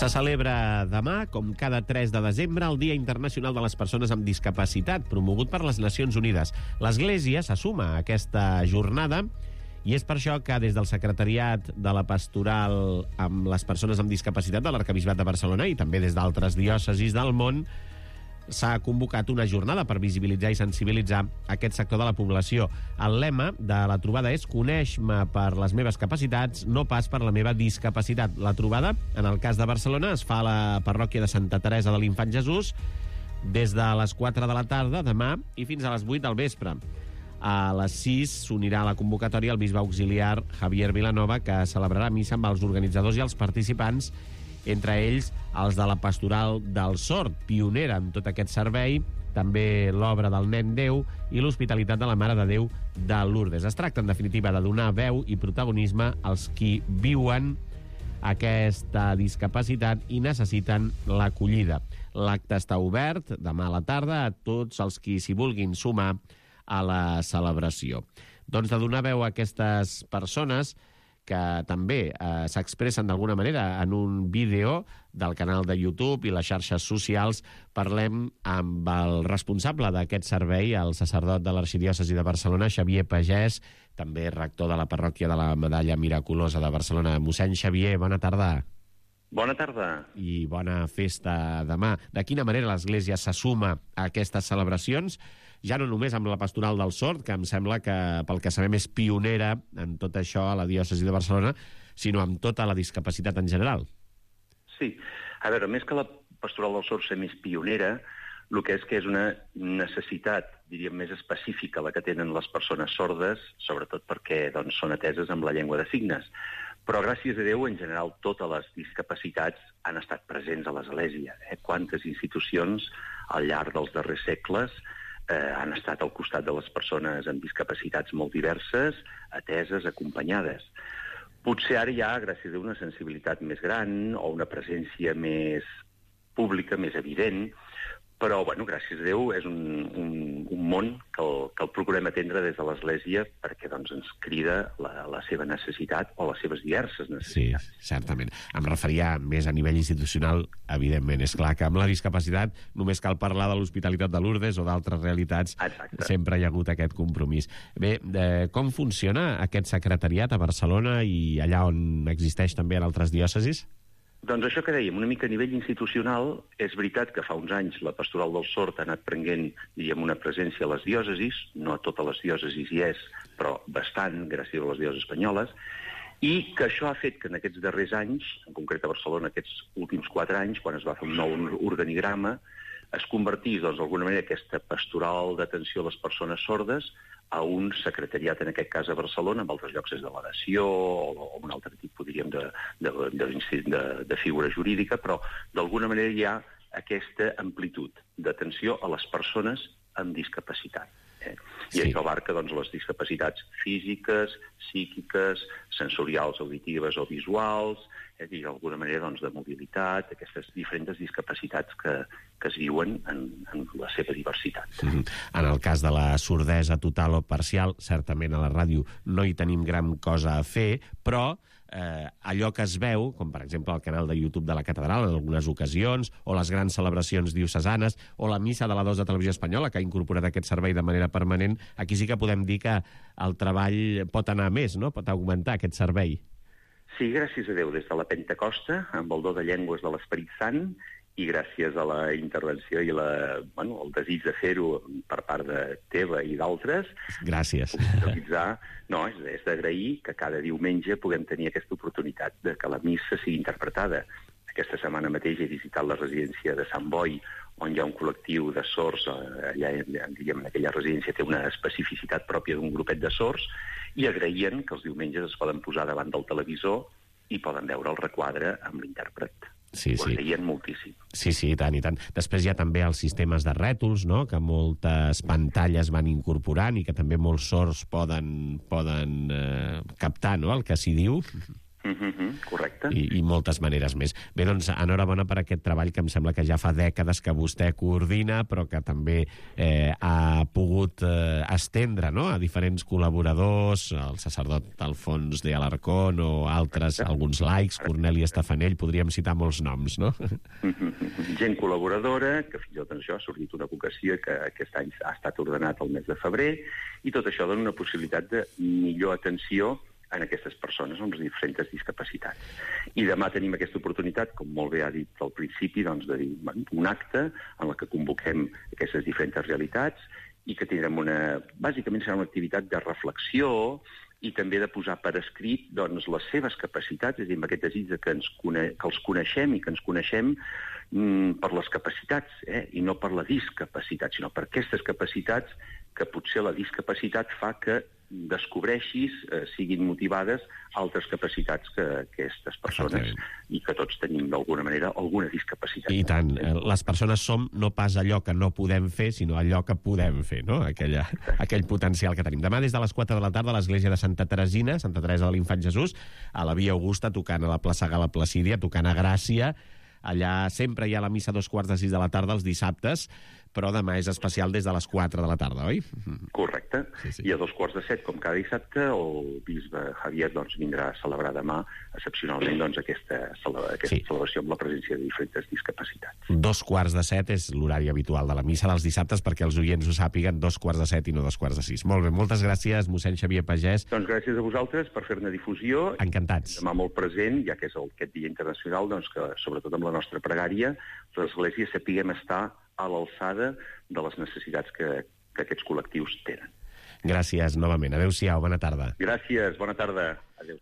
Se celebra demà, com cada 3 de desembre, el Dia Internacional de les Persones amb Discapacitat, promogut per les Nacions Unides. L'Església se suma a aquesta jornada i és per això que des del Secretariat de la Pastoral amb les Persones amb Discapacitat de l'Arquebisbat de Barcelona i també des d'altres diòcesis del món s'ha convocat una jornada per visibilitzar i sensibilitzar aquest sector de la població. El lema de la trobada és «Coneix-me per les meves capacitats, no pas per la meva discapacitat». La trobada, en el cas de Barcelona, es fa a la parròquia de Santa Teresa de l'Infant Jesús des de les 4 de la tarda demà i fins a les 8 del vespre. A les 6 s'unirà a la convocatòria el bisbe auxiliar Javier Vilanova, que celebrarà missa amb els organitzadors i els participants, entre ells els de la Pastoral del Sord, pionera en tot aquest servei, també l'obra del Nen Déu i l'Hospitalitat de la Mare de Déu de Lourdes. Es tracta, en definitiva, de donar veu i protagonisme als qui viuen aquesta discapacitat i necessiten l'acollida. L'acte està obert demà a la tarda a tots els qui s'hi vulguin sumar a la celebració. Doncs de donar veu a aquestes persones que també s'expressen d'alguna manera en un vídeo del canal de YouTube i les xarxes socials, parlem amb el responsable d'aquest servei, el sacerdot de l'Arxidiòcesi de Barcelona, Xavier Pagès, també rector de la parròquia de la Medalla Miraculosa de Barcelona. Mossèn Xavier, bona tarda. Bona tarda. I bona festa demà. De quina manera l'Església se suma a aquestes celebracions? Ja no només amb la Pastoral del Sord, que em sembla que, pel que sabem, és pionera en tot això a la diòcesi de Barcelona, sinó amb tota la discapacitat en general. Sí. A veure, més que la Pastoral del Sord ser més pionera, el que és una necessitat, diríem, més específica la que tenen les persones sordes, sobretot perquè doncs, són ateses amb la llengua de signes. Però, gràcies a Déu, en general, totes les discapacitats han estat presents a l'Església. Quantes institucions, al llarg dels darrers segles, han estat al costat de les persones amb discapacitats molt diverses, ateses, acompanyades. Potser ara hi ha, gràcies a una sensibilitat més gran o una presència més pública, més evident, però, bueno, gràcies a Déu, és un món que el procurem atendre des de l'Església perquè doncs, ens crida la seva necessitat o les seves diverses necessitats. Sí, certament. Em referia més a nivell institucional, evidentment. És clar que amb la discapacitat només cal parlar de l'Hospitalitat de Lourdes o d'altres realitats. Exacte. Sempre hi ha hagut aquest compromís. Bé, com funciona aquest secretariat a Barcelona i allà on existeix també en altres diòcesis? Doncs això que dèiem, una mica a nivell institucional, és veritat que fa uns anys la Pastoral del Sord ha anat prenent, diríem, una presència a les diòcesis, no a totes les diòcesis hi és, però bastant, gràcies a les diòcesis espanyoles, i que això ha fet que en aquests darrers anys, en concret a Barcelona aquests últims 4 anys, quan es va fer un nou organigrama, es convertís, doncs, d'alguna manera, aquesta pastoral d'atenció a les persones sordes a un secretariat, en aquest cas a Barcelona, en altres llocs és delegació o un altre tipus, diríem, de figura jurídica, però d'alguna manera hi ha aquesta amplitud d'atenció a les persones amb discapacitat. I Sí. això abarca doncs, les discapacitats físiques, psíquiques, sensorials, auditives o visuals, i d'alguna manera doncs, de mobilitat, aquestes diferents discapacitats que es viuen en la seva diversitat. En el cas de la sordesa total o parcial, certament a la ràdio no hi tenim gran cosa a fer, però allò que es veu, com per exemple el canal de YouTube de la Catedral en algunes ocasions, o les grans celebracions diocesanes, o la missa de la 2 de Televisió Espanyola, que ha incorporat aquest servei de manera permanent, aquí sí que podem dir que el treball pot anar més, no? Pot augmentar aquest servei. Sí, gràcies a Déu, des de la Pentecosta, amb el do de llengües de l'Esperit Sant, i gràcies a la intervenció i el desig de fer-ho per part de teva i d'altres. Gràcies. No, és d'agrair que cada diumenge puguem tenir aquesta oportunitat de que la missa sigui interpretada. Aquesta setmana mateix he visitat la residència de Sant Boi, on hi ha un col·lectiu de sords, allà, diguem, aquella residència té una especificitat pròpia d'un grupet de sords, i agraïen que els diumenges es poden posar davant del televisor i poden veure el requadre amb l'intèrpret. Sí, Ho agraïen moltíssim. Sí, i tant, i tant. Després hi ha també els sistemes de rètols, no?, que moltes pantalles van incorporant i que també molts sords poden captar, no?, el que s'hi diu. Correcte. I moltes maneres més. Bé, doncs, enhorabona per aquest treball que em sembla que ja fa dècades que vostè coordina, però que també ha pogut estendre, no?, a diferents col·laboradors, el sacerdot Alfons de Alarcón o altres, alguns laics, Corneli Estafanell, podríem citar molts noms, no? Gent col·laboradora, que fins i tot això ha sortit una vocació que aquest any ha estat ordenat el mes de febrer, i tot això dona una possibilitat de millor atenció en aquestes persones amb les diferents discapacitats. I demà tenim aquesta oportunitat, com molt bé ha dit al principi, doncs, de dir un acte en el que convoquem aquestes diferents realitats i que tindrem bàsicament serà una activitat de reflexió i també de posar per escrit doncs, les seves capacitats, és a dir, amb aquest desig que els coneixem i que ens coneixem per les capacitats, i no per la discapacitat, sinó per aquestes capacitats que potser la discapacitat fa que descobreixis, siguin motivades altres capacitats que aquestes persones i que tots tenim d'alguna manera alguna discapacitat. I tant, les persones som no pas allò que no podem fer, sinó allò que podem fer, no? Aquell potencial que tenim. Demà des de les 4 de la tarda a l'església de Santa Teresina, Santa Teresa de l'Infant Jesús, a la Via Augusta, tocant a la plaça Gala Placídia, tocant a Gràcia. Allà sempre hi ha la missa a 5:45 de la tarda els dissabtes, però demà és especial des de les 4 de la tarda, oi? Correcte. Sí. I a 7:15, com cada dissabte, el bisbe Javier vindrà a celebrar demà excepcionalment aquesta celebració amb la presència de diferents discapacitats. 7:15 és l'horari habitual de la missa dels dissabtes, perquè els oients ho sàpiguen, 7:15 i no 5:15. Molt bé, moltes gràcies, mossèn Xavier Pagès. Doncs gràcies a vosaltres per fer-ne difusió. Encantats. Demà molt present, ja que és aquest dia internacional, doncs que sobretot amb la nostra pregària, l'Església sapiguem estar a l'alçada de les necessitats que aquests col·lectius tenen. Gràcies novament. Adéu-siau, bona tarda. Gràcies, bona tarda. Adéu.